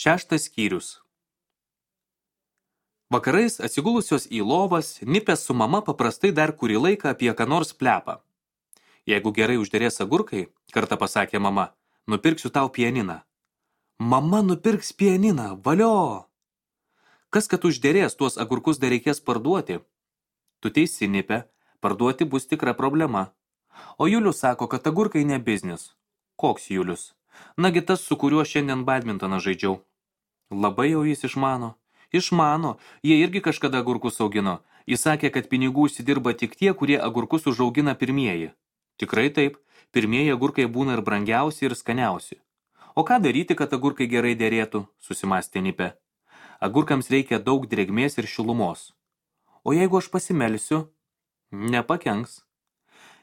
Šeštas skyrius. Vakarais atsigulusios į lovas, Nipės su mama paprastai dar kurį laiką apie ką nors plepa. Jeigu gerai užderės agurkai, kartą pasakė mama, nupirksiu tau pianiną. Mama nupirks pianiną, valio! Kas kad užderės, tuos agurkus dar reikės parduoti? Tu teisi, Nipė, parduoti bus tikra problema. O Julius sako, kad agurkai ne biznis. Koks Julius? Nagi tas, su kuriuo šiandien badmintoną žaidžiau. Labai jau jis išmano. Išmano, jie irgi kažkada agurkus augino. Jis sakė, kad pinigų užsidirba tik tie, kurie agurkus užaugina pirmieji. Tikrai taip, pirmieji agurkai būna ir brangiausi, ir skaniausi. O ką daryti, kad agurkai gerai derėtų, susimastė Nipė. Agurkams reikia daug drėgmės ir šilumos. O jeigu aš pasimelsiu? Nepakenks.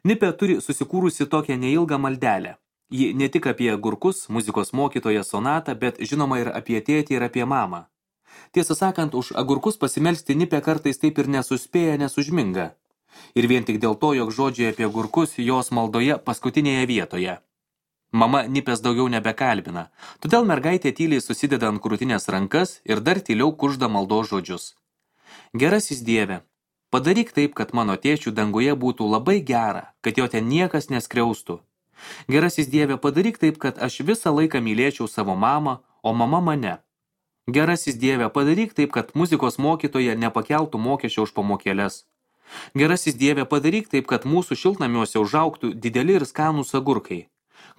Nipė turi susikūrusi tokią neilgą maldelę. Ji ne tik apie agurkus, muzikos mokytoją sonatą, bet žinoma ir apie tėtį ir apie mamą. Tiesą sakant, už agurkus pasimelsti Nipė kartais taip ir nesuspėja, nesužminga. Ir vien tik dėl to, jog žodžiai apie agurkus jos maldoje paskutinėje vietoje. Mama Nipės daugiau nebekalbina, todėl mergaitė tyliai susideda ant krūtinės rankas ir dar tyliau kužda maldos žodžius. Gerasis Dieve, padaryk taip, kad mano tėčių danguje būtų labai gera, kad jo ten niekas neskriaustų. Gerasis Dieve, padaryk taip, kad aš visą laiką mylėčiau savo mamą, o mama mane. Gerasis Dieve, padaryk taip, kad muzikos mokytoja nepakeltų mokesčio už pamokėles. Gerasis Dieve, padaryk taip, kad mūsų šiltnamiuose užaugtų dideli ir skanūs agurkai,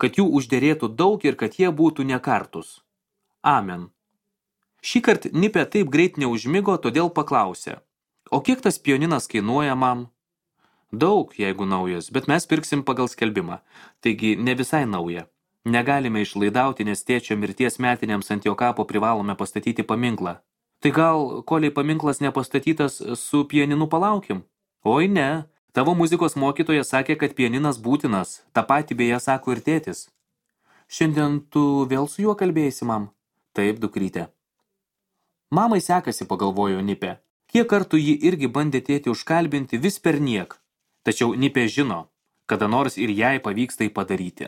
kad jų užderėtų daug ir kad jie būtų nekartus. Amen. Šįkart Nipė taip greit neužmigo, todėl paklausė. O kiek tas pianinas kainuoja, mam? Daug, jeigu naujas, bet mes pirksim pagal skelbimą. Taigi ne visai nauja. Negalime išlaidauti, nes tėčio mirties metinėms ant jo kapo privalome pastatyti paminklą. Tai gal, koliai paminklas nepastatytas, su pianinu palaukim? Oi ne, tavo muzikos mokytoja sakė, kad pianinas būtinas, tą patį beje sako ir tėtis. Šiandien tu vėl su juo kalbėsi, mam? Taip, dukrytė. Mamai sekasi, pagalvojo Nipė. Kiek kartų ji irgi bandė tėtį užkalbinti vis per niek. Tačiau Nipė žino, kada nors ir jai pavyks tai padaryti.